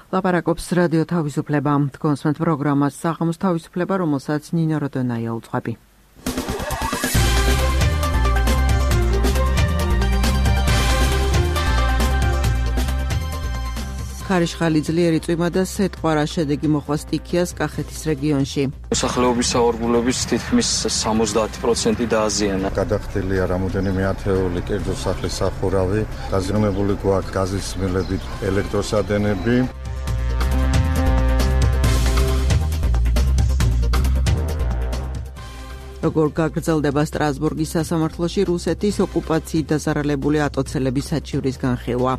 ლაპარაკობს რადიო თავისუფლება. კონსვენთ პროგრამას საღამოს თავისუფლება, რომელსაც ნინო როდონაია უძღვები. ხარიშხალი ძლიერი წვიმა და სეტყვარა შედეგი მოხდა სტიქიას კახეთის რეგიონში. მოსახლეობის საორგულების თითქმის 70% დააზიანა. გადახდილია რამოდენიმე ათეული კერძო სახლის სახურავი, დაზიანებული გვაქვს გაზის მილებით ელექტროსადენები. როგორ გაგრძელდება სტრასბურგის სასამართლოში რუსეთის ოკუპაციით დაზარალებული ატოცელების საჩივრის განხილვა.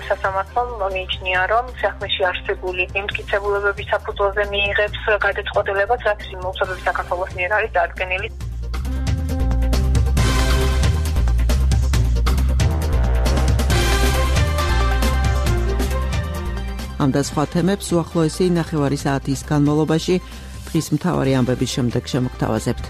სასამართლომ მიიჩნია, რომ საქმეში არსებული იმტკიცებულებების საფუძველზე მიიღებს გადაწყვეტილებას, რაც მოუწოდებს საქართველოს მიერ არის დადგენილი. ამ და სხვა თემებს უახლოესი ნახევარი საათის განმავლობაში დღის მთავარი ამბების შემდეგ შემოგთავაზებთ.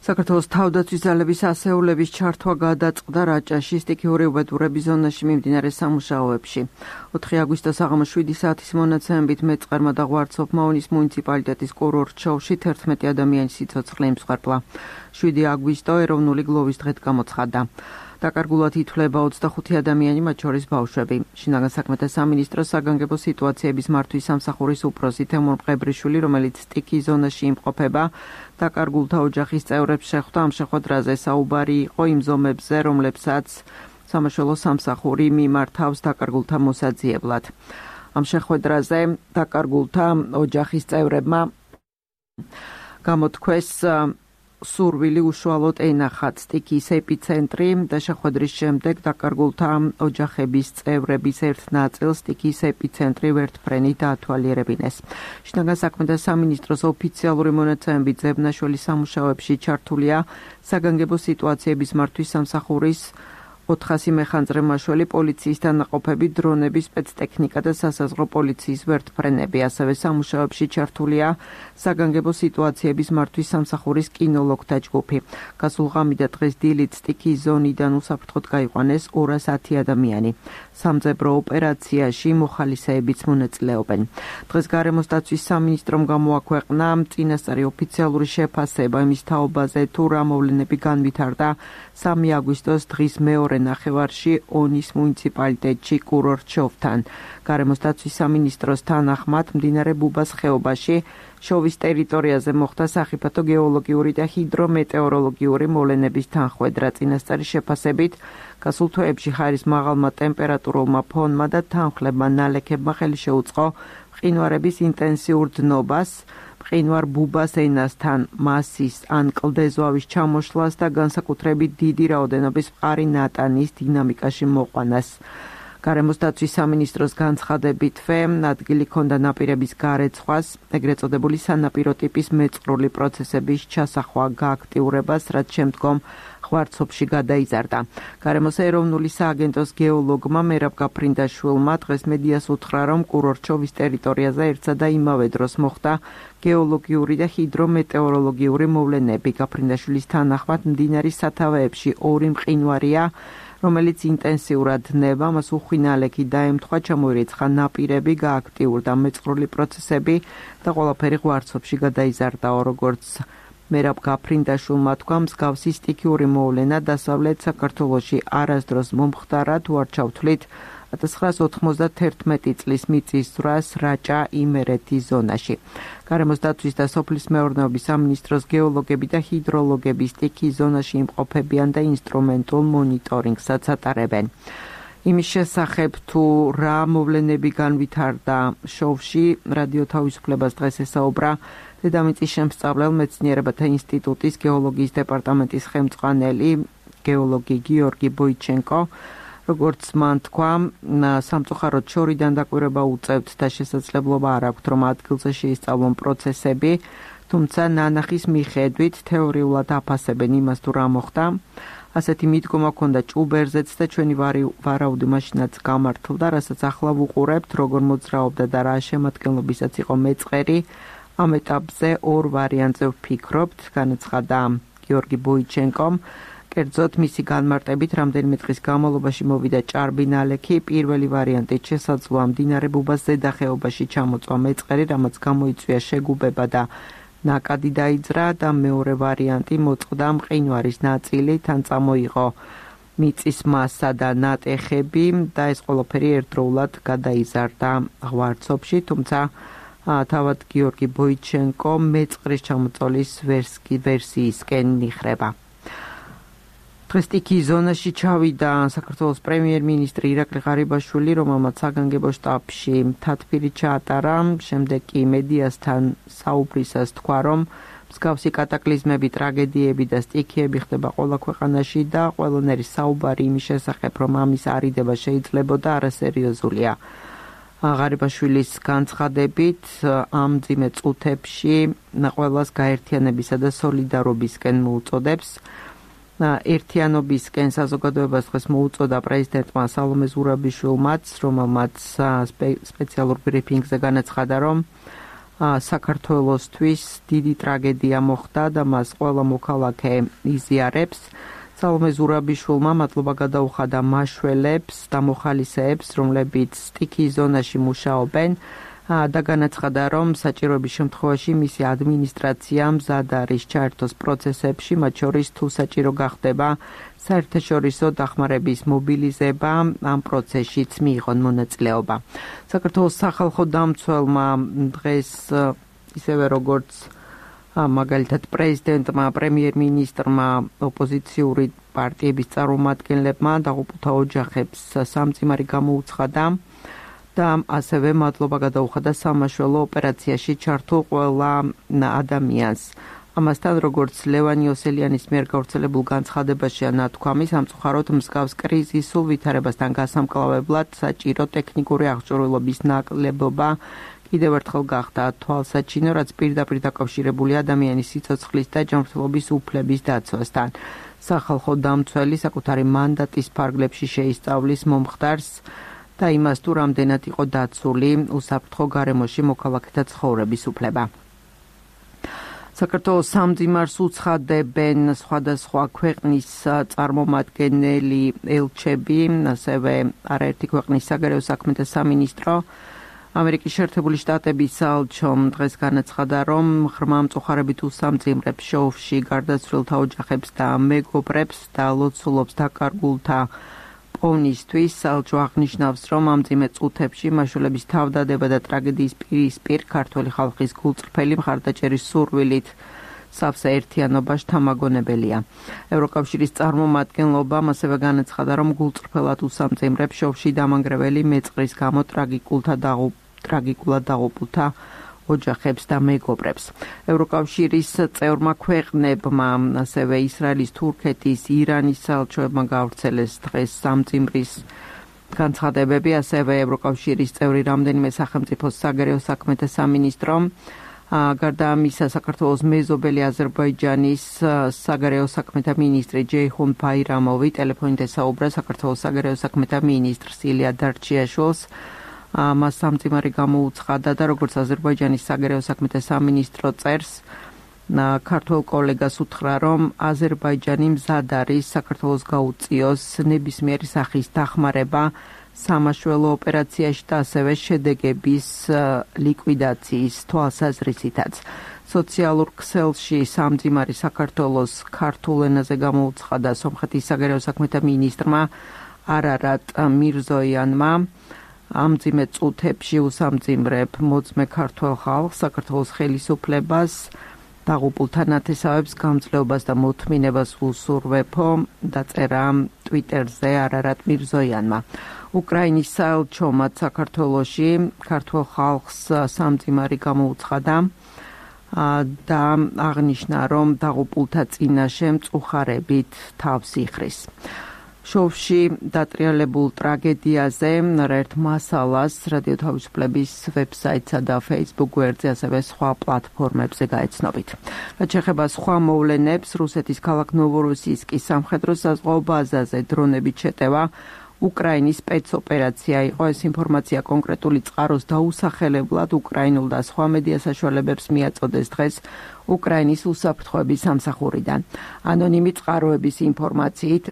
საქართველოს თავდაცვის ძალების ასეულების ჩართვა გადაწყდა რაჭაში სტიქიური უბედურების ზონაში მიმდინარე სამუშაოებში. 4 აგვისტოს საღამოს 7 საათის მონაცემებით მეწყერმა და ღვარცოფ-მაუნის მუნიციპალიტეტის კურორტ შოუში 11 ადამიანის სიცოცხლე იმსხვერპლა. 7 აგვისტო ეროვნული გლოვის დღედ გამოცხადდა. დაკარგულად ითვლება 25 ადამიანი, მათ შორის ბავშვები. შინაგან საქმეთა სამინისტროს საგანგებო სიტუაციების მართვის სამსახურის უფროსი თემურ მყებრიშვილი, რომელიც სტიქიის ზონაში იმყოფება, დაკარგულთა ოჯახის წევრებს შეხვდა. ამ შეხვედრაზე საუბარი იყო იმ ზომებზე, რომლებსაც სამაშველო სამსახური მიმართავს დაკარგულთა მოსაძიებლად. ამ შეხვედრაზე დაკარგულთა ოჯახის წევრებმა გამოთქვეს სურვილი უშუალოდ ენახათ სტიქიის ეპიცენტრი და შეხვედრის შემდეგ დაკარგულთა ოჯახების წევრების ერთ ნაწილს სტიქიის ეპიცენტრი ვერტფრენით დაათვალიერებინეს. შინაგან საქმეთა სამინისტროს ოფიციალური მონაცემებით ზებნაშვილის სამუშაოებში ჩართულია საგანგებო სიტუაციების მართვის სამსახურის 400 მეხანძრე მაშველი, პოლიციის თანაყოფები, დრონები, სპეცტექნიკა და სასაზღვრო პოლიციის ვერტფრენები. ასევე სამუშაოებში ჩართულია საგანგებო სიტუაციების მართვის სამსახურის კინოლოგთა ჯგუფი. გასულ ღამით და დღეს დილით სტიქიის ზონიდან უსაფრთხოდ გაიყვანეს 210 ადამიანი. სამძებრო ოპერაციაში მოხალისეებიც მონაწილეობენ. დღეს გარემოს დაცვის სამინისტრომ გამოაქვეყნა წინასწარი ოფიციალური შეფასება იმის თაობაზე, თუ რა მოვლენები განვითარდა 3 აგვისტოს დღის მეორე ნახევარში ონის მუნიციპალიტეტში კურორტ შოვთან. გარემოს დაცვის სამინისტროს თანახმად მდინარე ბუბას ხეობაში შოვის ტერიტორიაზე მოხდა სახიფათო გეოლოგიური და ჰიდრომეტეოროლოგიური მოვლენების თანხმედრა. წინასწარი შეფასებით გასულ თვეებში ჰაერის მაღალმა ტემპერატურულმა ფონმა და თანხლებმა ნალექებმა ხელი შეუწყო მყინვარების ინტენსიურ დნობას, მყინვარ ბუბას ენასთან მასის ან კლდეზვავის ჩამოშლას და განსაკუთრებით დიდი რაოდენობის მყარი ნატანის დინამიკაში მოყვანას. გარემოს დაცვის სამინისტროს განცხადებით ადგილი ჰქონდა ნაპირების გარეცხვას, ეგრეთ წოდებული სანაპირო ტიპის მეწყრული პროცესების ჩასახვა გააქტიურებას, რაც შემდგომ ღვარცოფში გადაიზარდა. გარემოს ეროვნული სააგენტოს გეოლოგმა მერაბ გაფრინდაშვილმა დღეს მედიას უთხრა, რომ კურორტ შოვის ტერიტორიაზე ერთსა და იმავე დროს მოხდა გეოლოგიური და ჰიდრომეტეოროლოგიური მოვლენები. გაფრინდაშვილის თანახმად მდინარის სათავეებში 2 მყინვარია, რომელიც ინტენსიურად დნება, მას უხვი ნალექი დაემთხვა, ჩამოირიცხა ნაპირები, გააქტიურდა მეწყრული პროცესები და ყველაფერი ღვარცოფში გადაიზარდა. როგორც მერაბ გაფრინდაშვილმა თქვა, მსგავსი სტიქიური მოვლენა დასავლეთ საქართველოში არასდროს მომხდარა, თუ არ ჩავთვლით 1991 წლის მიწის ზრას რაჭა იმერეთის ზონაში. გარემოს დაცვის და სოფლის მეურნეობის სამინისტროს გეოლოგები და ჰიდროლოგები სტიქიის ზონაში იმყოფებიან და ინსტრუმენტულ მონიტორინგსაც ატარებენ. იმის შესახებ, თუ რა მოვლენები განვითარდა შოუში, რადიო თავისუფლებას დღეს ესაუბრა დედამიწის შემსწავლელ მეცნიერებათა ინსტიტუტის გეოლოგიის დეპარტამენტის ხელმძღვანელი გეოლოგი გიორგი ბოიჩენკო. როგორც მან თქვა, სამწუხაროდ შორიდან დაკვირვება უწევთ და შესაძლებლობა არ აქვთ, რომ ადგილზე შეისწავლონ პროცესები, თუმცა ნანახის მიხედვით თეორიულად აფასებენ იმას, თუ რა მოხდა. ასეთი მიდგომა ჰქონდა ჭუბერზეც და ჩვენი ვარაუდი მაშინაც გამართლდა, რასაც ახლა ვუყურებთ, როგორ მოძრაობდა და რა შემადგენლობისაც იყო მეწყერი. ამ ეტაპზე 2 ვარიანტზე ვფიქრობთ, განაცხადა გიორგი ბოიჩენკომ. კერძოდ მისი განმარტებით რამდენიმე დღის განმავლობაში მოვიდა ჭარბი ნალექი, პირველი ვარიანტით შესაძლოა მდინარე ბუბას ზედა ხეობაში ჩამოწვა მეწყერი, რამაც გამოიწვია შეგუბება და ნაკადი დაიძრა და მეორე ვარიანტი მოწყდა მყინვარის ნაწილი, თან წამოიღო მიწის მასა და ნატეხები და ეს ყველაფერი ერთდროულად გადაიზარდა ღვარცობში, თუმცა თავად გიორგი ბოიჩენკო მეწყრის ჩამოწოლის ვერსიისკენ მიხრება. დღეს სტიქიის ზონაში ჩავიდა საქართველოს პრემიერ-მინისტრი ირაკლი ღარიბაშვილი, რომელმაც საგანგებო შტაბში მთათბირი ჩაატარა, შემდეგ კი მედიასთან საუბრისას თქვა, რომ მსგავსი კატაკლიზმები, ტრაგედიები და სტიქიები ხდება ყველა ქვეყანაში და ყველანაირი საუბარი იმის შესახებ, რომ ამის არიდება შეიძლებოდა არასერიოზულია. ღარიბაშვილის განცხადებით ამ მძიმე წუთებში ყველას გაერთიანებისა და სოლიდარობისკენ მოუწოდებს. ერთიანობისკენ საზოგადოებას დღეს მოუწოდა პრეზიდენტმა სალომე ზურაბიშვილმაც, რომელმაც სპეციალურ ბრიფინგზე განაცხადა, რომ საქართველოსთვის დიდი ტრაგედია მოხდა და მას ყველა მოქალაქე იზიარებს. სალომე ზურაბიშვილმა მადლობა გადაუხადა მაშველებს და მოხალისეებს, რომლებიც სტიქიის ზონაში მუშაობენ და განაცხადა, რომ საჭიროების შემთხვევაში მისი ადმინისტრაცია მზად არის ჩაერთოს პროცესებში, მათ შორის თუ საჭირო გახდება საერთაშორისო დახმარების მობილიზება, ამ პროცესშიც მიიღონ მონაწილეობა. საქართველოს სახალხო დამცველმა დღეს ისევე როგორც მაგალითად პრეზიდენტმა, პრემიერ-მინისტრმა, ოპოზიციური პარტიების წარმომადგენლებმა დაღუპულთა ოჯახებს სამწიმარი გამოუცხადა და ასევე მადლობა გადაუხადა სამაშველო ოპერაციაში ჩართულ ყველა ადამიანს. ამასთან, როგორც ლევან იოსელიანის მიერ გავრცელებულ განცხადებაშია ნათქვამი, სამწუხაროდ მსგავს კრიზისულ ვითარებასთან გასამკლავებლად საჭირო ტექნიკური აღჭურვილობის ნაკლებობა კიდევ ერთხელ გახდა თვალსაჩინო, რაც პირდაპირ დაკავშირებული ადამიანის სიცოცხლის და ჯანმრთელობის უფლების დაცვასთან. სახალხო დამცველი საკუთარი მანდატის ფარგლებში შეისწავლის მომხდარს და იმას თუ რამდენად იყო დაცული უსაფრთხო გარემოში მოქალაქეთა ცხოვრების უფლება. საქართველოს სამძიმარს უცხადებენ სხვადასხვა ქვეყნის წარმომადგენელი ელჩები, ასევე არაერთი ქვეყნის საგარეო საქმეთა სამინისტრო. ამერიკის შეერთებული შტატების საელჩომ დღეს განაცხადა, რომ ღრმა მწუხარებით უსამძიმრებს შოუში გარდაცვლილთა ოჯახებს და მეგობრებს და ლოცულობს დაკარგულთა პოვნისთვის. საელჩო აღნიშნავს, რომ ამ მძიმე წუთებში მაშველების თავდადება და ტრაგედიის პირისპირ ქართველი ხალხის გულწრფელი მხარდაჭერის სურვილით სავსე ერთიანობა შთამაგონებელია. ევროკავშირის წარმომადგენლობამ ასევე განაცხადა, რომ გულწრფელად უსამძიმრებს შოუში დამანგრეველი მეწყრის გამო ტრაგიკულად დაღუპულთა ოჯახებს და მეგობრებს. ევროკავშირის წევრმა ქვეყნებმა, ასევე ისრაელის, თურქეთის, ირანის საელჩოებმა გაავრცელეს დღეს სამძიმრის განცხადებები, ასევე ევროკავშირის წევრი რამდენიმე სახელმწიფოს საგარეო საქმეთა სამინისტრომ. გარდა ამისა, საქართველოს მეზობელი აზერბაიჯანის საგარეო საქმეთა მინისტრი ჯეიჰუნ ბაირამოვი ტელეფონით ესაუბრა საქართველოს საგარეო საქმეთა მინისტრს ილია დარჩიაშვილს. მას სამწიმარი გამოუცხადა და როგორც აზერბაიჯანის საგარეო საქმეთა სამინისტრო წერს, ქართველ კოლეგას უთხრა, რომ აზერბაიჯანი მზად არის საქართველოს გაუწიოს ნებისმიერი სახის დახმარება სამაშველო ოპერაციაში და ასევე შედეგების ლიკვიდაციის თვალსაზრისითაც. სოციალურ ქსელში სამძიმარი საქართველოს ქართულ ენაზე გამოუცხადა სომხეთის საგარეო საქმეთა მინისტრმა არარატ მირზოიანმა. ამ მძიმე წუთებში უსამძიმრებ მოწმე ქართველ ხალხს, საქართველოს ხელისუფლებას, დაღუპულთა ნათესავებს გამძლეობას და მოთმინებას უსურვებო, დაწერა ტვიტერზე არარატ მირზოიანმა. უკრაინის საელჩომაც საქართველოში ქართველ ხალხს სამძიმარი გამოუცხადა და აღნიშნა, რომ დაღუპულთა წინაშე მწუხარებით თავს იხრის. შოუში დატრიალებულ ტრაგედიაზე ერთ მასალას რადიო თავისუფლების ვებსაიტსა და Facebook გვერდზე, ასევე სხვა პლატფორმებზე გაეცნობით. რაც შეეხება სხვა მოვლენებს, რუსეთის ქალაქ ნოვოროსიისკის სამხედრო საზღვაო ბაზაზე დრონებით შეტევა უკრაინის სპეცოპერაცია იყო. ეს ინფორმაცია კონკრეტული წყაროს დაუსახელებლად უკრაინულ და სხვა მედია საშუალებებს მიაწოდეს დღეს უკრაინის უსაფრთხოების სამსახურიდან. ანონიმი წყაროების ინფორმაციით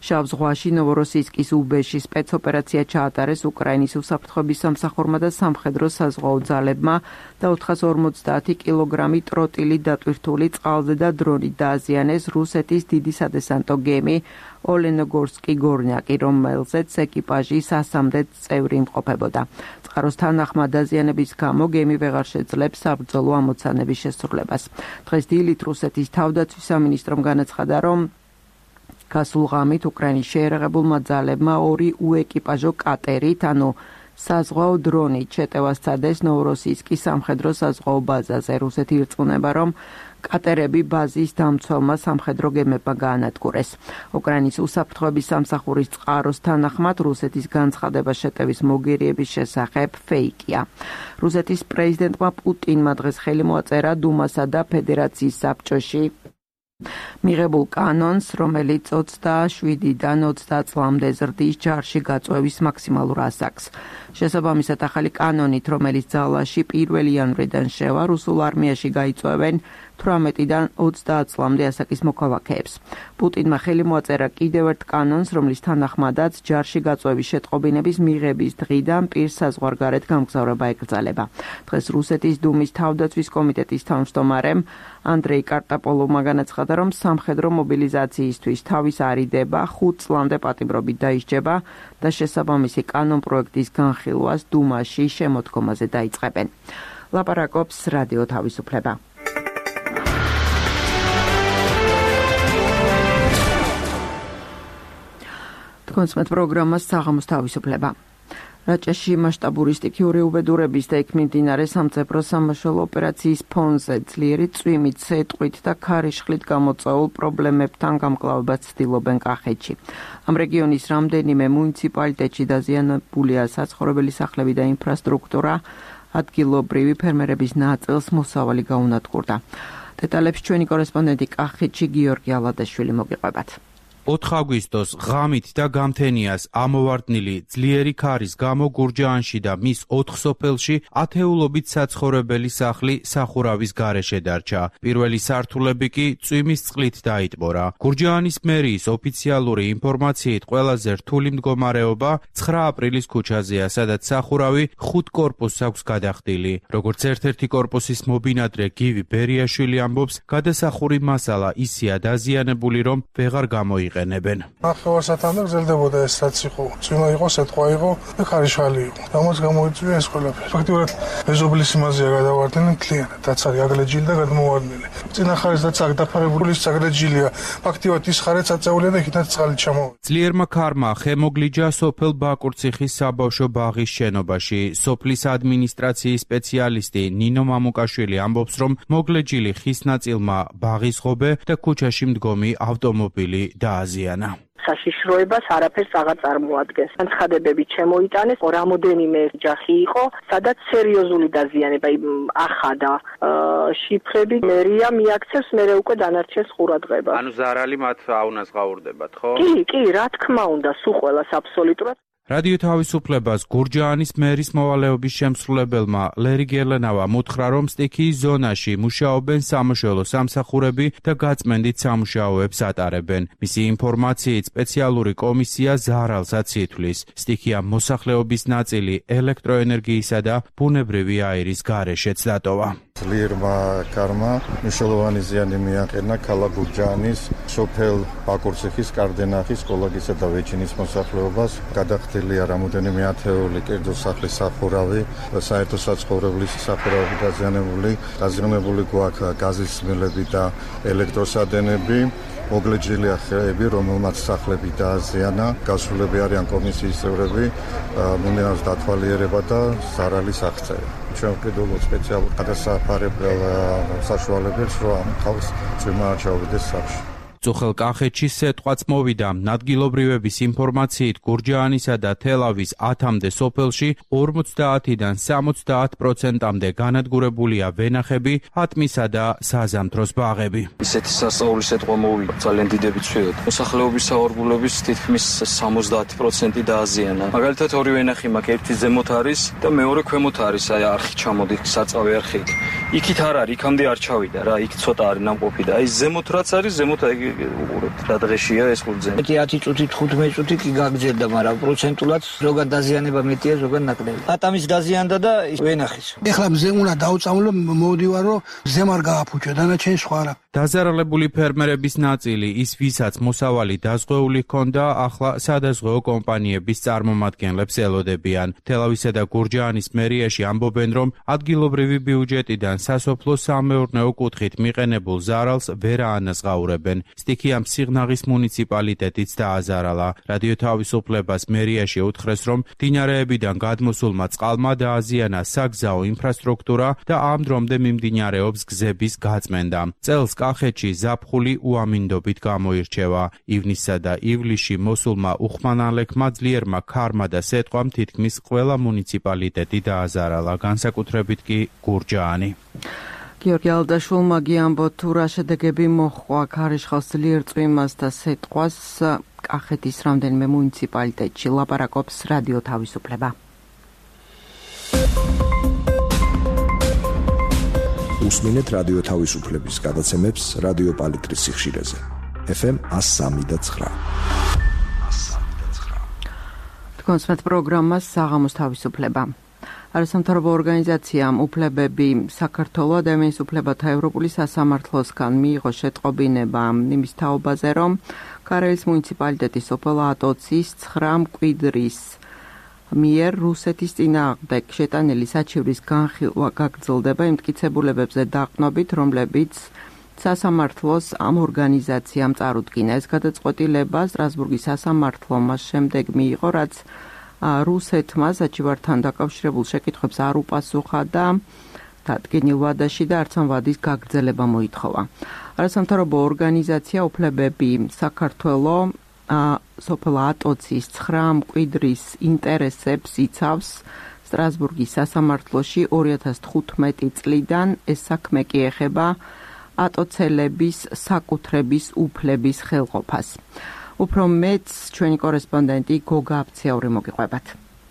შავ ზღვაში ნოვოროსიისკის უბეში სპეცოპერაცია ჩაატარეს უკრაინის უსაფრთხოების სამსახურმა და სამხედრო საზღვაო ძალებმა და 450 კილოგრამი ტროტილი დატვირთული წყალზე და დრონით დააზიანეს რუსეთის დიდი სადესანტო გემი ოლენოგორსკი გორნიაკი, რომელზეც ეკიპაჟი 300 წევრი იმყოფებოდა. წყაროს თანახმად დაზიანების გამო გემი ვეღარ შეძლებს საბრძოლო ამოცანების შესრულებას. დღეს დილით რუსეთის თავდაცვის სამინისტრომ განაცხადა, რომ გასულ ღამით უკრაინის შეიარაღებულმა ძალებმა 2 უეკიპაჟო კატერით, ანუ საზღვაო დრონით შეტევა სცადეს ნოვოროსიისკის სამხედრო საზღვაო ბაზაზე. რუსეთი ირწმუნება, რომ კატერები ბაზის დამცველმა სამხედრო გემებმა გაანადგურეს. უკრაინის უსაფრთხოების სამსახურის წყაროს თანახმად რუსეთის განცხადება შეტევის მოგერიების შესახებ ფეიკია. რუსეთის პრეზიდენტმა პუტინმა დღეს ხელი მოაწერა დუმასა და ფედერაციის საბჭოში მიღებულ კანონს, რომელიც 27-დან 30 წლამდე ზრდის ჯარში გაწვევის მაქსიმალურ ასაკს. შესაბამისად, ახალი კანონით, რომელიც ძალაში 1 იანვრიდან შევა, რუსულ არმიაში გაიწვევენ 18-დან 30 წლამდე ასაკის მოქალაქეებს. პუტინმა ხელი მოაწერა კიდევ ერთ კანონს, რომლის თანახმადაც ჯარში გაწვევის შეტყობინების მიღების დღიდან პირს საზღვარგარეთ გამგზავრება ეკრძალება. დღეს რუსეთის დუმის თავდაცვის კომიტეტის თავმჯდომარემ ანდრეი კარტაპოლოვმა განაცხადა, რომ სამხედრო მობილიზაციისთვის თავის არიდება 5 წლამდე პატიმრობით დაისჯება და შესაბამისი კანონპროექტის განხილვას დუმაში შემოდგომაზე დაიწყებენ. ლაპარაკობს რადიო თავისუფლება. კონსმეთ პროგრამას საღამოს თავისუფლება. რაჭაში მასშტაბური სტიქიური უბედურების და იქ მიმდინარე სამწებრო სამაშველო ოპერაციის ფონზე ძლიერი წვიმით, სეტყვით და ქარიშხლით გამოწვეულ პრობლემებთან გამკლავებას ცდილობენ კახეთში. ამ რეგიონის რამდენიმე მუნიციპალიტეტში დაზიანებულია საცხოვრებელი სახლები და ინფრასტრუქტურა, ადგილობრივი ფერმერების ნაწილს მოსავალი გაუნადგურდა. დეტალებს ჩვენი კორესპონდენტი კახეთში გიორგი ალადაშვილი მოგიყვებათ. 4 აგვისტოს ღამით და გამთენიას ამოვარდნილი ძლიერი ქარის გამო გურჯაანში და მის 4 სოფელში ათეულობით საცხოვრებელი სახლი სახურავის გარეშე დარჩა. პირველი სართულები კი წვიმის წყლით დაიტბორა. გურჯაანის მერიის ოფიციალური ინფორმაციით ყველაზე რთული მდგომარეობა 9 აპრილის ქუჩაზეა, სადაც სახურავი 5 კორპუსს აქვს გადახდილი. როგორც ერთ-ერთი კორპუსის მობინადრე გივი ბერიაშვილი ამბობს, გადასახური მასალა ისეა დაზიანებული, რომ ვეღარ გამოიყენება. ნახევარსათამდე გრძელდებოდა ეს რაც იყო. წვიმა იყო, სეტყვა იყო და ქარიშხალი იყო. ამას გამოიწვია ეს ყველაფერი. ფაქტობრივად მეზობლის იმაზეა გადავარდნილი მთლიანად. რაც არის აგლეჯილი და გადმოვარდნილი. წინა ხარეს რაც დაფარებული აგლეჯილია. ფაქტობრივად ის ხარეც აწეულია და იქითაც წყალი ჩამოვიდა. ძლიერმა ქარმა ხემოგლიჯა სოფელ ბაკურციხის საბავშვო ბაღის შენობაში. სოფლის ადმინისტრაციის სპეციალისტი ნინო მამუკაშვილი ამბობს, რომ მოგლეჯილი ხის ნაწილმა ბაღის ღობე და ქუჩაში მდგომი ავტომობილი დააზიანა. საშიშროებას არაფერს აღარ წარმოადგენს. განცხადებები შემოიტანეს, რამოდენიმე ოჯახი იყო, სადაც სერიოზული დაზიანება ახადა შიფრები. მერია მიაქცევს, მერე უკვე დანარჩენს ყურადღებას. ანუ ზარალი მათ აუნაზღაურდებათ, ხო? კი, რა თქმა უნდა, სულ ყველას აბსოლუტურად. რადიო თავისუფლებას გურჯაანის მერის მოვალეობის შემსრულებელმა ლერი გერლენავამ უთხრა, რომ სტიქიის ზონაში მუშაობენ სამაშველო სამსახურები და გაწმენდით სამუშაოებს ატარებენ. მისი ინფორმაციით სპეციალური კომისია ზარალსაც ითვლის. სტიქია მოსახლეობის ნაწილი ელექტროენერგიისა და ბუნებრივი აირის გარეშეც დატოვა. ძლიერმა ქარმა მნიშვნელოვანი ზიანი მიაყენა ქალაქ გურჯაანის სოფელ ბაკურციხის, კარდენახის, კოლაგისა და ვეჩინის მოსახლეობას. გადახდილია რამოდენიმე ათეული კერძო სახლის სახურავი, საერთო საცხოვრებლის სახურავი დაზიანებული გვაქვს გაზის სმილები და ელექტროსადენები. მოგლეჯილია ხეები, რომელმაც სახლები დააზიანა. გასულები არიან კომისიის წევრები, მინერალს დათვალიერება და ზარალის აღწერა. ჩვენ ვყიდულობთ სპეციალურ გადასაფარებელ საშუალებებს, რომ ამ ხალხს წვიმა არ ჩაუვიდეს სახლში. წუხელ კახეთში სეტყვაც მოვიდა. ადგილობრივების ინფორმაციით გურჯაანისა და თელავის 10-მდე სოფელში 50-დან 70%-მდე განადგურებულია ვენახები, ატმისა და საზამთროს ბაღები. ისეთი სასწაული სეტყვა მოვიდა, ძალიან დიდები ცვიოთ. მოსახლეობის საორგულების თითქმის 70% დააზიანა. მაგალითად ორი ვენახი მაქვს, ერთი ზემოთ არის და მეორე ქვემოთ არის, აი არხი ჩამოდი, საწავე არხი. იქით არ არის, იქამდე არ ჩავიდა რა, იქ ცოტა არის ნამყოფი და აი ზემოთ რაც არის, ზემოთ აი უყურებთ რა დღეშია ეს ხურძე. 10 წუთი 15 წუთი კი გაგრძელდა, მაგრამ პროცენტულად ზოგად დაზიანება მეტია, ზოგად ნაკლები. ატამის დაზიანდა და ვენახის. ეხლა მზე უნდა დავწამლო, მოვდივარ რომ მზემ არ გააფუჭო, დანარჩენი სხვა რა. დაზარალებული ფერმერების ნაწილი, ის ვისაც მოსავალი დაზღვეული ჰქონდა, ახლა სადაზღვეო კომპანიების წარმომადგენლებს ელოდებიან. თელავისა და გურჯაანის მერიაში ამბობენ, რომ ადგილობრივი ბიუჯეტიდან სასოფლო-სამეურნეო კუთხით მიყენებულ ზარალს ვერ აანაზღაურებენ. სტიქიამ სიღნაღის მუნიციპალიტეტიც დააზარალა. რადიო თავისუფლებას მერიაში უთხრეს, რომ მდინარეებიდან გადმოსულმა წყალმა დააზიანა საგზაო ინფრასტრუქტურა და ამ დრომდე მიმდინარეობს გზების გაწმენდა. წელს კახეთში ზაფხული უამინდობით გამოირჩევა. ივნისსა და ივლისში მოსულმა უხმანალექმა ძლიერმა ქარმა და სეტყვამ თითქმის ყველა მუნიციპალიტეტი დააზარალა, განსაკუთრებით კი გურჯაანი. გიორგი ალდაშვილმა გიამბოთ, თუ რა შედეგები მოჰყვა ქარიშხალს ძლიერ წვიმას და სეტყვას კახეთის რამდენიმე მუნიციპალიტეტში. ლაპარაკობს რადიო თავისუფლება. უსმინეთ რადიო თავისუფლების გადაცემებს რადიო პალიტრის სიხშირეზე. FM 103.9. კონსმეთ პროგრამას საღამოს თავისუფლება. არასამთავრობო ორგანიზაციამ უფლებები საქართველოს ადამიანის უფლებათა ევროპული სასამართლოსგან მიიღო შეტყობინება იმის თაობაზე, რომ ქარელის მუნიციპალიტეტის სოფელ ატოცის 9 მკვიდრის მიერ რუსეთის წინააღმდეგ შეტანილი საჩივრის განხილვა გაგრძელდება იმ მტკიცებულებებზე დაყნობით, რომლებიც სასამართლოს ამ ორგანიზაციამ წარუდგინა. ეს გადაწყვეტილება სტრასბურგის სასამართლომ მას შემდეგ მიიღო, რაც რუსეთმა საჩივართან დაკავშირებულ შეკითხვებს არ უპასუხა და დადგენილ ვადაში და არც ამ ვადის გაგრძელება მოითხოვა. არასამთავრობო ორგანიზაცია უფლებები საქართველოს სოფელ ატოცის 9 მკვიდრის ინტერესებს იცავს სტრასბურგის სასამართლოში 2015 წლიდან. ეს საქმე კი ეხება ატოცელების საკუთრების უფლების ხელყოფას. უფრო მეც ჩვენი კორესპონდენტი გოგა აფციაური მოგიყვებათ.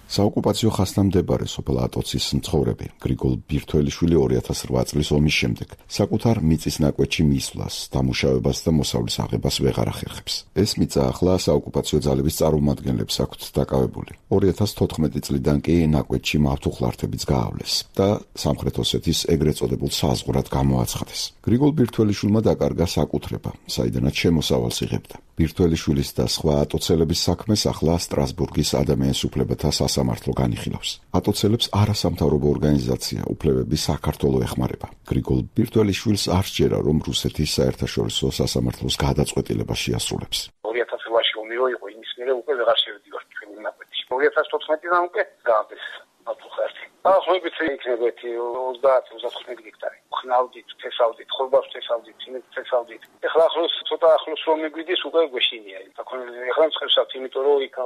საოკუპაციო ხასნამდებარე სოფელ ატოცის მცხოვრები გრიგოლ ბირთველიშვილი 2008 წლის ომის შემდეგ საკუთარ მიწის ნაკვეთში მისვლას, დამუშავებას და მოსავლის აღებას ვეღარ ახერხებს. ეს მიწა ახლა საოკუპაციო ძალების წარმომადგენლებს აქვთ დაკავებული. 2014 წლიდან კი ნაკვეთში მავთუხლართებიც გაავლეს და სამხრეთ ოსეთის ეგრეთ წოდებულ საზღვრად გამოაცხადეს. გრიგოლ ბირთველიშვილმა დაკარგა საკუთრება, საიდანაც შემოსავალს იღებდა. ბირთველიშვილის და სხვა ატოცელების საქმეს ახლა სტრასბურგის ადამიანის უფლებათა სასამართლო განიხილავს. ატოცელებს არასამთავრობო ორგანიზაცია უფლებები საქართველოს ეხმარება. გრიგოლ ბირთველიშვილს არ სჯერა, რომ რუსეთის საერთაშორისო სასამართლოს გადაწყვეტილება შეასრულებს. 2008-ში ომი იყო, იმის მერე უკვე ვეღარ შევდივარ ჩვენი ნაკვეთში. 2014-დან უკვე გაამდეს მავთუხლართი. ახლა იქნება 30-35 გექტარი. ხნავდით, თესავდით, ხორბავს თესავდით, იმით თესავდით. ეხლა ახლოს ცოტა ახლოს რომ მიგვიდის უკვე გვეშინია. ეხლა მწყებსავთ, იმიტომ რომ იქ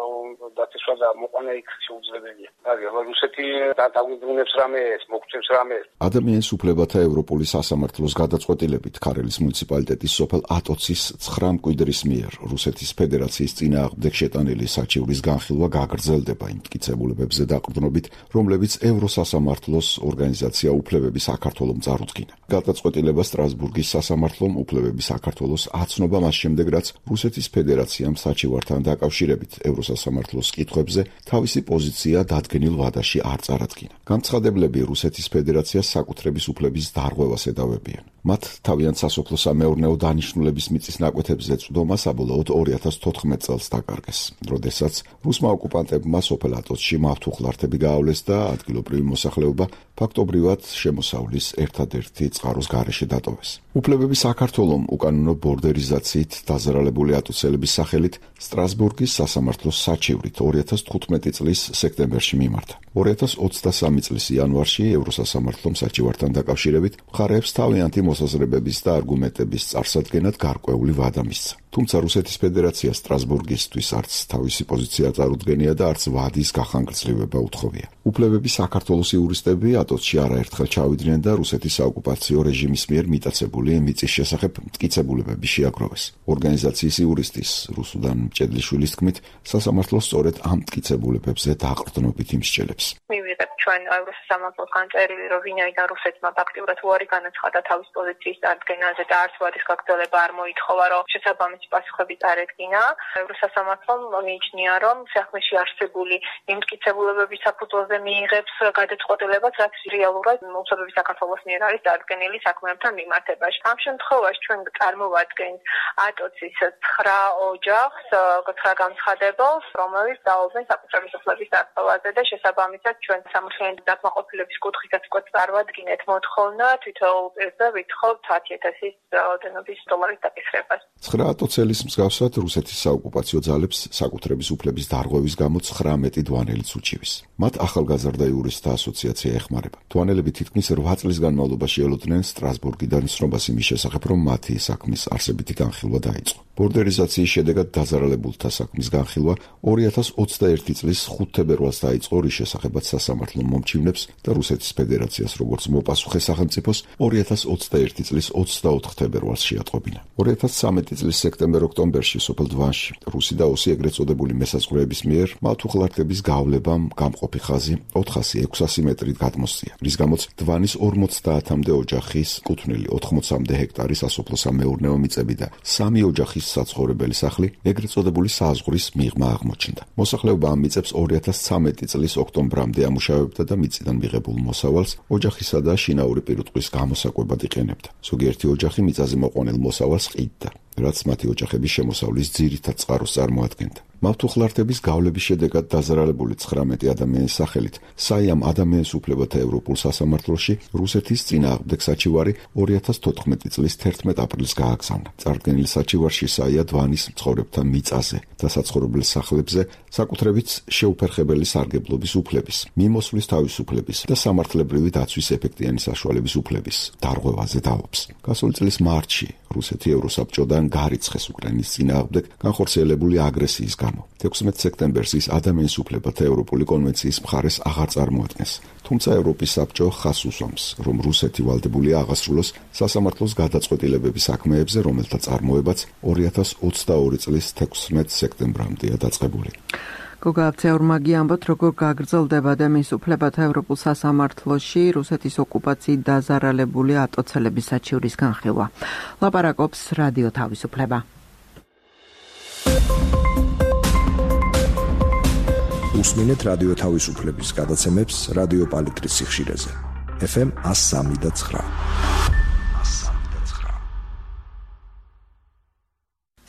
დათესვა და მოყვანა იქ შეუძლებელია. აბა რუსეთი დაგვიბრუნებს რამეს, მოგწევს რამეს. ადამიანის უფლებათა ევროპული სასამართლოს გადაწყვეტილებით ქარელის მუნიციპალიტეტის სოფელ ატოცის 9 მკვიდრის მიერ რუსეთის ფედერაციის წინააღმდეგ შეტანილი საჩივრის განხილვა გაგრძელდება იმ მტკიცებულებებზე დაყრდნობით, რომლებიც ევროსასამართლოს ორგანიზაცია უფლებები საქართველოს წარუდგინა. გადაწყვეტილება სტრასბურგის სასამართლომ უფლებები საქართველოს აცნობა მას შემდეგ, რაც რუსეთის ფედერაციამ საჩივართან დაკავშირებით ევროსასამართლოს კითხვებზე თავისი პოზიცია დადგენილ ვადაში არ წარადგინა. განცხადებლები რუსეთის ფედერაციას საკუთრების უფლების დარღვევას ედავებიან. მათ თავიანთ სასოფლო-სამეურნეო დანიშნულების მიწის ნაკვეთებზე წვდომა საბოლოოდ 2014 წელს დაკარგეს, როდესაც რუსმა ოკუპანტებმა სოფელ ატოცში მავთუხლართები გაავლეს და ადგილობრივი მოსახლეობა ფაქტობრივად შემოსავლის ერთადერთი წყაროს გარეშე დატოვეს. უფლებები საქართველოს უკანონო ბორდერიზაციით დაზარალებული ატოცელების სახელით სტრასბურგის სასამართლოს საჩივრით 2015 წლის სექტემბერში მიმართა. 2023 წლის იანვარში ევროსასამართლომ საჩივართან დაკავშირებით მხარეებს თავიანთი მოსაზრებების და არგუმენტების წარსადგენად გარკვეული ვადა მისცა. თუმცა რუსეთის ფედერაცია სტრასბურგისთვის არც თავისი პოზიცია წარუდგენია და არც ვადის გახანგრძლივება უთხოვია. უფლებები საქართველოს იურისტები ატოცში არაერთხელ ჩავიდნენ და რუსეთის საოკუპაციო რეჟიმის მიერ მიტაცებული მიწის შესახებ მტკიცებულებები შეაგროვეს. ორგანიზაციის იურისტის რუსუდან მჭედლიშვილის თქმით, სასამართლო სწორედ ამ მტკიცებულებებზე დაყრდნობით იმსჯელებს. მივიღებთ ჩვენ ევროსამართლოსგან წერილი, რომ ვინაიდან რუსეთმა ფაქტიურად უარი განაცხადა თავის პოზიციის წარდგენაზე და არც ვადის გაგრძელება არ მოითხოვა, რომ შესაბამისი პასუხები წარედგინა. ევროსასამართლომ მიიჩნია, რომ საქმეში არსებული იმ მტკიცებულებების საფუძველზე მიიღებს გადაწყვეტილებას, რაც რეალურად უცნობი საქართველოს მიერ არის წარდგენილი საქმეებთან მიმართებაში. ამ შემთხვევაში ჩვენ წარმოვადგენთ ატოცის 9 ოჯახს, 9 განცხადებელს, რომელიც დაობენ საკუთრების უფლების დარღვევაზე და შესაბამისად ჩვენ სამართლიანი დაკმაყოფილების კუთხითაც წარვადგინეთ მოთხოვნა თითოეულ პირზე ვითხოვთ 10,000 რაოდენობის დოლარის დაკისრებას. 9 ატოცელის მსგავსად რუსეთის საოკუპაციო ძალებს საკუთრების უფლების დარღვევის გამო 19 დვანელიც უჩივის. მათ ახალგაზრდა იურისტთა ასოციაცია ეხმარება. დვანელები თითქმის 8 წლის განმავლობაში ელოდნენ სტრასბურგიდან ცნობას იმის შესახებ, რომ მათი საქმის არსებითი განხილვა დაიწყო. ბორდერიზაციის შედეგად დაზარალებულთა საქმის განხილვა 2021 წლის 5 თებერვალს დაიწყო, რის შესახებაც სასამართლო მომჩივნებს და რუსეთის ფედერაციას როგორც მოპასუხე სახელმწიფოს 2021 წლის 24 თებერვალს შეატყობინა. 2013 წლის სექტემბერ-ოქტომბერში სოფელ დვანში რუსი და ოსი ეგრეთ წოდებული მესაზღვრეების მიერ მავთუხლართების გავლებამ გამყოფი ხაზი 400-600 მეტრით გადმოსწია, რის გამოც დვანის 50-მდე ოჯახის კუთვნილი 80-მდე ჰექტარი სასოფლო-სამეურნეო მიწები და 3 ოჯახის საცხოვრებელი სახლი ეგრეთ წოდებული საზღვრის მიღმა აღმოჩნდა. მოსახლეობა ამ მიწებს 2013 წლის ოქტომბრამდე ამუშავებდა და მიწიდან მიღებულ მოსავალს ოჯახისა და შინაური პირუტყვის გამოსაკვებად იყენებდა. ზოგიერთი ოჯახი მიწაზე მოყვანილ მოსავალს ყიდდა, რაც მათი ოჯახების შემოსავლის ძირითად წყაროს წარმოადგენდა. მავთუხლართების გავლების შედეგად დაზარალებული 19 ადამიანის სახელით საიამ ადამიანის უფლებათა ევროპულ სასამართლოში რუსეთის წინააღმდეგ საჩივარი 2014 წლის 11 აპრილს გააგზავნა. წარდგენილ საჩივარში საია დვანის მცხოვრებთა მიწაზე და საცხოვრებელ სახლებზე საკუთრებით შეუფერხებელი სარგებლობის უფლების, მიმოსვლის თავისუფლების და სამართლებრივი დაცვის ეფექტიანი საშუალების უფლების დარღვევაზე დაობს. გასული წლის მარტში რუსეთი ევროსაბჭოდან გარიცხეს უკრაინის წინააღმდეგ განხორციელებული აგრესიის გამო. 16 სექტემბერს ის ადამიანის უფლებათა ევროპული კონვენციის მხარეს აღარ წარმოადგენს. თუმცა ევროპის საბჭო ხაზს უსვამს, რომ რუსეთი ვალდებულია აღასრულოს სასამართლოს გადაწყვეტილებების საქმეებზე, რომელთა წარმოებაც 2022 წლის 16 სექტემბრამდეა დაწყებული. გოგა აბცეურმაგი ამბობთ, როგორ გაგრძელდება ადამიანის უფლებათა ევროპულ სასამართლოში რუსეთის ოკუპაციით დაზარალებული ატოცელების საჩივრის განხილვა. ლაპარაკობს რადიო თავისუფლება. უსმინეთ რადიო თავისუფლების გადაცემებს რადიო პალიტრის სიხშირეზე. FM 103.9.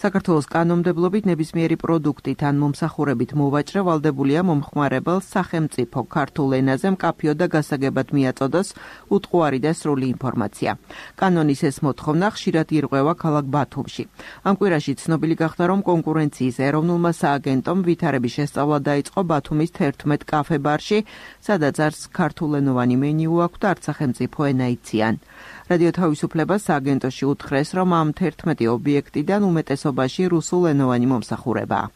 საქართველოს კანონმდებლობით ნებისმიერი პროდუქტით ან მომსახურებით მოვაჭრე ვალდებულია მომხმარებელს სახელმწიფო ქართულ ენაზე მკაფიო და გასაგებად მიაწოდოს უტყუარი და სრული ინფორმაცია. კანონის ეს მოთხოვნა ხშირად ირღვევა ქალაქ ბათუმში. ამ კვირაში ცნობილი გახდა, რომ კონკურენციის ეროვნულმა სააგენტომ ვითარების შესწავლა დაიწყო ბათუმის 11 კაფე-ბარში, სადაც არც ქართულენოვანი მენიუ აქვს და არც სახელმწიფო ენა იციან. რადიო თავისუფლებას სააგენტოში უთხრეს, რომ ამ 11 ობიექტიდან უმეტესობაში რუსულენოვანი მომსახურებაა.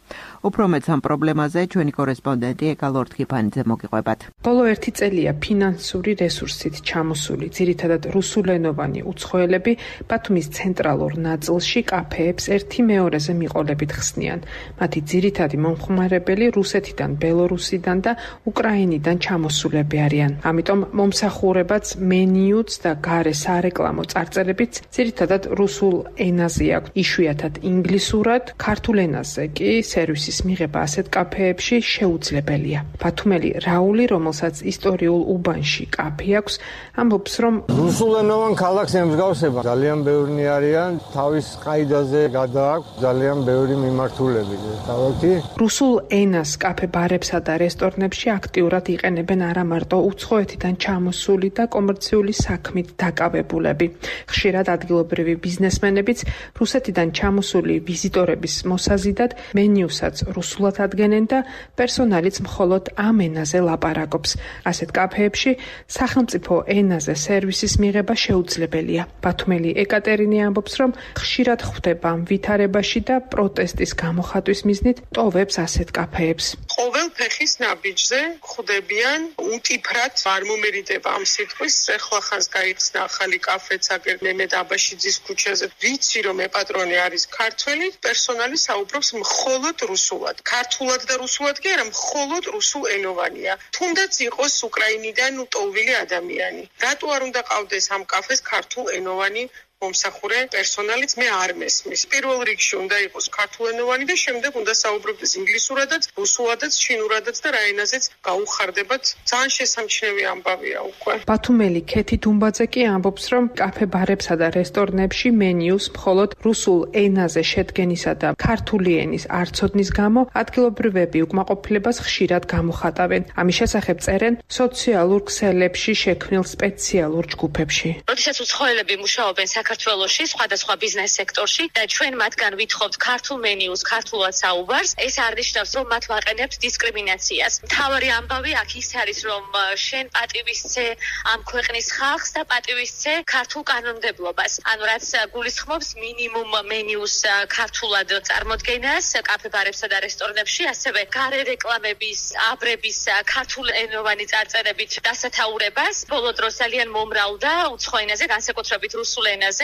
უფრო მეტს ამ პრობლემაზე ჩვენი კორესპონდენტი ეკა ლორთქიფანიძე მოგიყვებათ. ბოლო 1 წელია ფინანსური რესურსით ჩამოსული ძირითადად რუსულენოვანი უცხოელები ბათუმის ცენტრალურ ნაწილში კაფეებს ერთი მეორეზე მიყოლებით ხსნიან. მათი ძირითადი მომხმარებელი რუსეთიდან, ბელორუსიდან და უკრაინიდან ჩამოსულები არიან. ამიტომ მომსახურებაც, მენიუც და გარე სარეკლამო წარწერებიც ძირითადად რუსულ ენაზე აქვს. იშვიათად ინგლისურად, ქართულ ენაზე კი სერვისის მიღება ასეთ კაფეებში შეუძლებელია. ბათუმელი რაული, რომელსაც ისტორიულ უბანში კაფე აქვს, ამბობს, რომ რუსულენოვან ქალაქს ემსგავსება. ძალიან ბევრი არიან, თავის ყაიდაზე გადააქვს ძალიან ბევრი მიმართულები. თავი რუსულ ენას კაფე-ბარებსა და რესტორნებში აქტიურად იყენებენ არა მარტო უცხოეთიდან ჩამოსული და კომერციული საქმით დაკავებული მიღებულები. ხშირად ადგილობრივი ბიზნესმენებიც რუსეთიდან ჩამოსული ვიზიტორების მოსაზიდად მენიუსაც რუსულად ადგენენ და პერსონალიც მხოლოდ ამ ენაზე ლაპარაკობს. ასეთ კაფეებში სახელმწიფო ენაზე სერვისის მიღება შეუძლებელია. ბათუმელი ეკატერინე ამბობს, რომ ხშირად ხვდება ვითარებაში და პროტესტის გამოხატვის მიზნით ტოვებს ასეთ კაფეებს. ყოველ ფეხის ნაბიჯზე ხვდებიან უტიფრად არ მომერიდება ამ სიტყვის ეხლახანს გაიხსნა ახალი კაფეც აგერ მემედ აბაშიძის ქუჩაზე. ვიცი რომ ეპატრონე არის ქართველი, პერსონალი საუბრობს მხოლოდ რუსულად. ქართულად და რუსულად კი არა, მხოლოდ რუსულ ენოვანია. თუნდაც იყოს უკრაინიდან ტოვილი ადამიანი. რატო არ უნდა ყავდეს ამ კაფეს ქართულ ენოვანი მომსახურე პერსონალიც მე არ მესმის. პირველ რიგში უნდა იყოს ქართულენოვანი და შემდეგ უნდა საუბრობდეს ინგლისურადაც, რუსულადაც, ჩინურადაც და რა ენაზეც გაუხარდებათ. ძალიან შესამჩნევი ამბავია უკვე. ბათუმელი ქეთი დუმბაძე კი ამბობს, რომ კაფე-ბარებსა და რესტორნებში მენიუს მხოლოდ რუსულ ენაზე შედგენისა და ქართული ენის არცოდნის გამო ადგილობრივები უკმაყოფილებას ხშირად გამოხატავენ. ამის შესახებ წერენ სოციალურ ქსელებში შექმნილ სპეციალურ ჯგუფებში. როდესაც უცხოელები მუშაობენ საქართველოში, სხვადასხვა ბიზნეს სექტორში და ჩვენ მათგან ვითხოვთ ქართულ მენიუს, ქართულად საუბარს, ეს არ ნიშნავს, რომ მათ ვაყენებთ დისკრიმინაციას. მთავარი ამბავი აქ ის არის, რომ შენ პატივისცე ამ ქვეყნის ხალხს და პატივისცე ქართულ კანონმდებლობას. ანუ რაც გულისხმობს მინიმუმ მენიუს ქართულად წარმოდგენას კაფე-ბარებსა და რესტორნებში, ასევე გარე რეკლამების, აბრების ქართულ ენოვანი წარწერებით დასათაურებას. ბოლო დროს ძალიან მომრავლდა უცხო ენაზე, განსაკუთრებით რუსულ ენაზე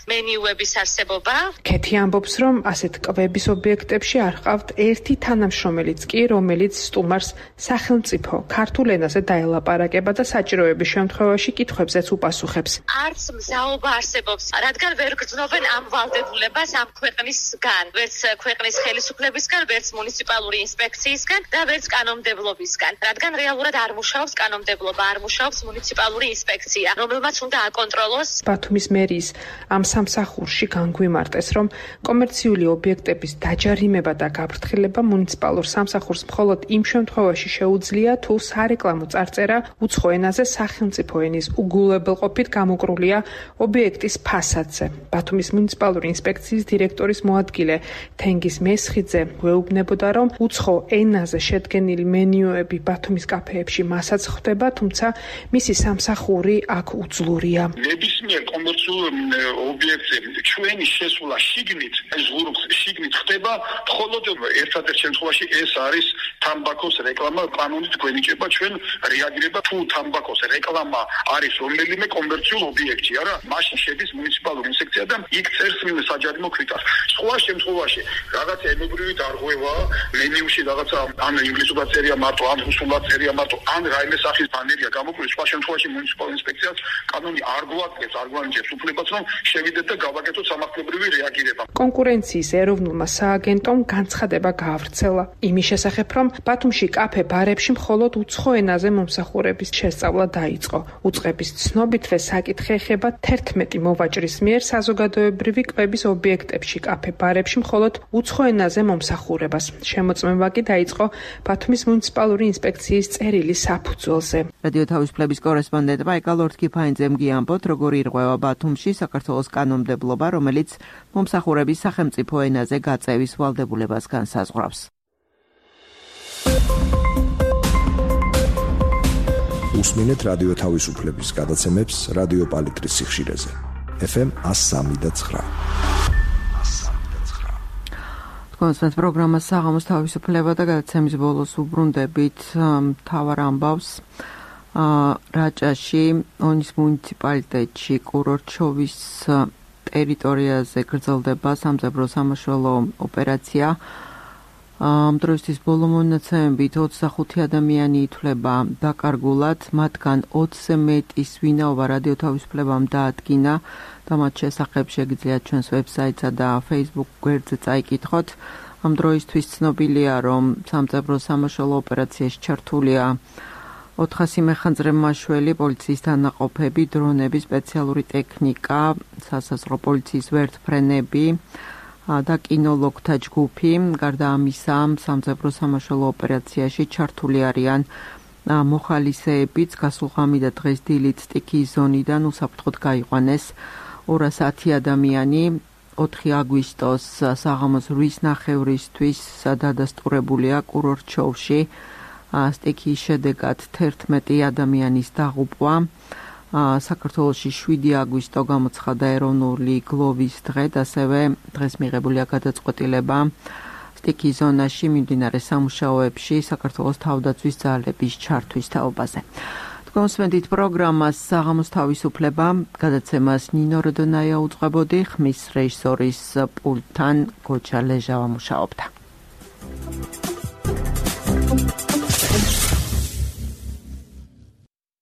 მენიუების არსებობა. ქეთი ამბობს, რომ ასეთ კვების ობიექტებში არ ყავთ ერთი თანამშრომელიც კი, რომელიც სტუმარს სახელმწიფო ქართულ ენაზე დაელაპარაკება და საჭიროების შემთხვევაში კითხვებზეც უპასუხებს. არც მზაობა არსებობს, რადგან ვერ გრძნობენ ამ ვალდებულებას ამ ქვეყნისგან, ვერც ქვეყნის ხელისუფლებისგან, ვერც მუნიციპალური ინსპექციისგან და ვერც კანონმდებლობისგან, რადგან რეალურად არ მუშაობს კანონმდებლობა, არ მუშაობს მუნიციპალური ინსპექცია, რომელმაც უნდა აკონტროლოს. ბათუმის მერიის ამ სამსახურში განგვიმარტეს, რომ კომერციული ობიექტების დაჯარიმება და გაფრთხილება მუნიციპალურ სამსახურს მხოლოდ იმ შემთხვევაში შეუძლია, თუ სარეკლამო წარწერა უცხო ენაზე სახელმწიფო ენის უგულებელყოფით გამოკრულია ობიექტის ფასადზე. ბათუმის მუნიციპალური ინსპექციის დირექტორის მოადგილე თენგიზ მესხიძე გვეუბნებოდა, რომ უცხო ენაზე შედგენილი მენიუები ბათუმის კაფეებში მასაც ხვდება, თუმცა მისი სამსახური აქ უძლურია. ნებისმიერ კომერციულ ობიექტზე ჩვენი შესვლა შიგნით, ზღურბს შიგნით ხდება, მხოლოდ ერთადერთ შემთხვევაში ეს არის თამბაქოს რეკლამა, კანონით გვენიჭება ჩვენ რეაგირება, თუ თამბაქოს რეკლამა არის რომელიმე კომერციულ ობიექტი, არა, მაშინ შედის მუნიციპალური ინსპექცია და იქ წერს საჯარიმო ქვიტანს. სხვა შემთხვევაში რაღაცა ენობრივი დარღვევა, მენიუში რაღაცა ან ინგლისურად წერია მარტო, ან რუსულად წერია მარტო, ან რაიმე სახის ბანერია გამოკვლიეს, სხვა შემთხვევაში მუნიციპალური ინსპექციას კანონი არ გვაძლევს, არ გვანიჭებს უფლებას, რომ შევიდეთ და გავაკეთოთ სამართლებრივი რეაგირება. კონკურენციის ეროვნულმა სააგენტომ განცხადება გაავრცელა იმის შესახებ, რომ ბათუმში კაფე-ბარებში მხოლოდ უცხო ენაზე მომსახურების შესწავლა დაიწყო. უწყების ცნობითვე საკითხი ეხება 11 მოვაჭრის მიერ საზოგადოებრივი კვების ობიექტებში კაფე-ბარებში მხოლოდ უცხო ენაზე მომსახურებას. შემოწმება კი დაიწყო ბათუმის მუნიციპალური ინსპექციის წერილის საფუძველზე. რადიო თავისუფლების კორესპონდენტმა ეკალორთ კიფაინძემ გიამბოთ, როგორი ირღვევა ბათუმში საქართველოს კანონმდებლობა, რომელიც მომსახურების სახელმწიფო ენაზე გაწევის ვალდებულებას განსაზღვრავს. უსმინეთ რადიო თავისუფლების გადაცემებს რადიო პალიტრის სიხშირეზე. FM 103.9. კონსტანტ პროგრამას საღამოს თავისუფლება და გადაცემის ბოლოს უბრუნდებით მთავარ ამბავს. რაჭაში, ონის მუნიციპალიტეტში, კურორჩოვის ტერიტორიაზე გრძელდება სამძებრო სამაშველო ოპერაცია. ამ დროისთვის ბოლო მონაცემებით 25 ადამიანი ითვლება დაკარგულად, მათგან 20-ზე მეტის ვინაობა რადიო თავისუფლებამ დაადგინა და მათ შესახებ შეგიძლიათ ჩვენს ვებსაიტსა და Facebook გვერდზე წაიკითხოთ. ამ დროისთვის ცნობილია, რომ სამძებრო სამაშველო ოპერაციაში ჩართულია 400 მეხანძრე მაშველი, პოლიციის დანაყოფები, დრონები, სპეციალური ტექნიკა, სასაზღვრო პოლიციის ვერტმფრენები და კინოლოგთა ჯგუფი. გარდა ამისა, სამძებრო სამაშველო ოპერაციაში ჩართული არიან მოხალისეებიც გასულღამი და დღეს დილით სტიქიის ზონიდან უსაფრთხოდ გაიყვანეს 210 ადამიანი 4 აგვისტოს საღამოს 8:30-ისთვის დადასტურებულია კურორტ-შოუში სტიქიის შედეგად 11 ადამიანის დაღუპვა საქართველოში 7 აგვისტო გამოცხადა ეროვნული გლოვის დღედ ასევე დღეს მიღებულია გადაწყვეტილება სტიქიის ზონაში მიმდინარე სამუშაოებში საქართველოს თავდაცვის ძალების ჩართვის თაობაზე. თქვენ უსმენთ პროგრამას საღამოს თავისუფლება, გადაცემას ნინო როდონაია უძღვებოდი, ხმის რეჟისორის პულტთან გოჩა ლეჟავა მუშაობდა.